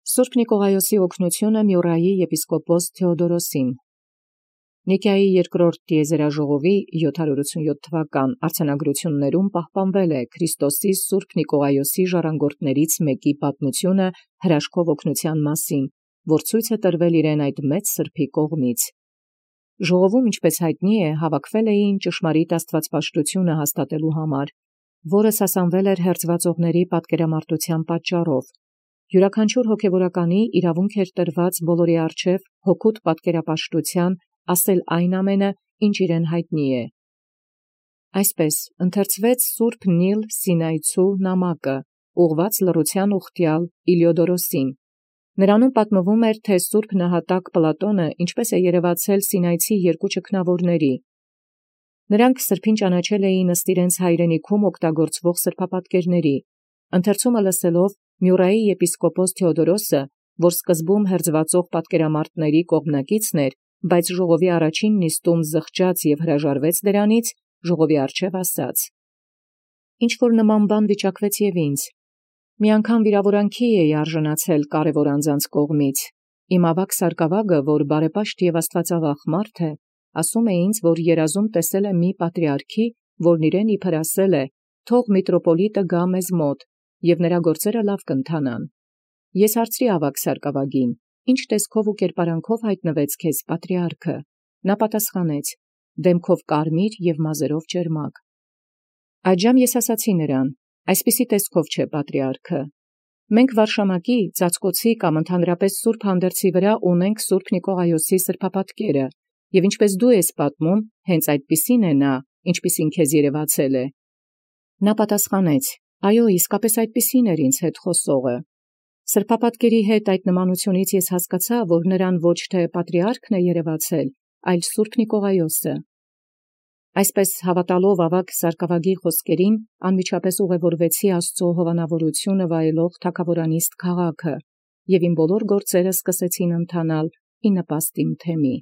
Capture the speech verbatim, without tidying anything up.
Սուրբ Նիկողայոսի օգնությունը Մյուռայի եպիսկոպոս Թեոդորոսին։ Նիկիայի երկրորդ տիեզերաժողովի յոթ հարյուր ութսուն յոթ թվական արձանագրություններում պահպանվել է Քրիստոսի Սուրբ Նիկողայոսի ժառանգորդներից մեկի պատմությունը հրաշքով օգնության մասին, որ ցույց է տրվել իրեն այդ մեծ սրբի կողմից։ Ժողովում, ինչպես հայտնի է, հավաքվել էին ճշմարիտ աստվածպաշտությունը հաստատելու համար, որը սասանվել էր հերձվածողների պատկերամարտության պատճառով։ Յուրաքանչյուր հոգևորականի իրավունք էր տրված բոլորի առջև հոգուտ պատկերապաշտության ասել այն ամենը, ինչ իրեն հայտնի է։ Այսպես ընթերցվեց Սուրբ Նիլ Սինայցու նամակը, ուղղված լռության ուխտյալ Իլիոդորոսին։ Նրանում պատմվում էր, թե Սուրբ Նահատակ Պլատոնը ինչպես է երևացել Սինայցի երկու ճգնավորների։ Նրանք սրբին ճանաչել էին ըստ իրենց հայրենիքում օգտագործվող սրբապատկերների։ Ընթերցումը լսելով Մյուռայի եպիսկոպոս Թեոդորոսը, որ սկզբում հերձվածող պատկերամարտների կողմնակիցն էր, բայց ժողովի առաջին նիստում զղջաց և հրաժարվեց դրանից, ժողովի առջև ասաց. «Ինչ-որ նման բան վիճակվեց և ինձ. մի անգամ վիրավորանքի էի արժանացել կարևոր անձանց կողմից։ Իմ ավագ սարկավագը, որ բարեպաշտ և աստվածավախ մարդ է, ասում է ինձ, որ երազում տեսել է մի պատրիարքի, որն իրեն իբր ասել է. «Թող միտրոպոլիտը գա մեզ մոտ, և նրա գործերը լավ կընթանան»։ Ես հարցրի ավագ սարկավագին. «Ինչ տեսքով ու կերպարանքով հայտնվեց քեզ պատրիարքը»։ Նա պատասխանեց. «Դեմքով կարմիր և մազերով ճերմակ»։ Այդժամ ես ասացի նրան. «Այսպիսի տեսքով չէ պատրիարքը։ Մենք վարշամակի, ծածկոցի կամ ընդհանրապես սուրբ հանդերձի վրա ունենք Սուրբ Նիկողայոսի սրբապատկերը, և ինչպես դու ես պատմում, հենց այդպիսին է նա, ինչպիսին քեզ երևացել է»։ Նա պատասխանեց. «Այո, իսկապես այդպիսին էր ինձ հետ խոսողը»։ Սրբապատկերի հետ այդ նմանությունից ես հասկացա, որ նրան ոչ թե պատրիարքն է երևացել, այլ Սուրբ Նիկողայոսը։ Այսպես հավատալով ավագ սարկավագի խոսքերին, անմիջապես ուղևորվեցի Աստծո հովանավորությունը վայելող թագավորանիստ քաղաքը, և իմ բոլոր գործերը սկսեցին ընթանալ ի նպաստ իմ թեմի։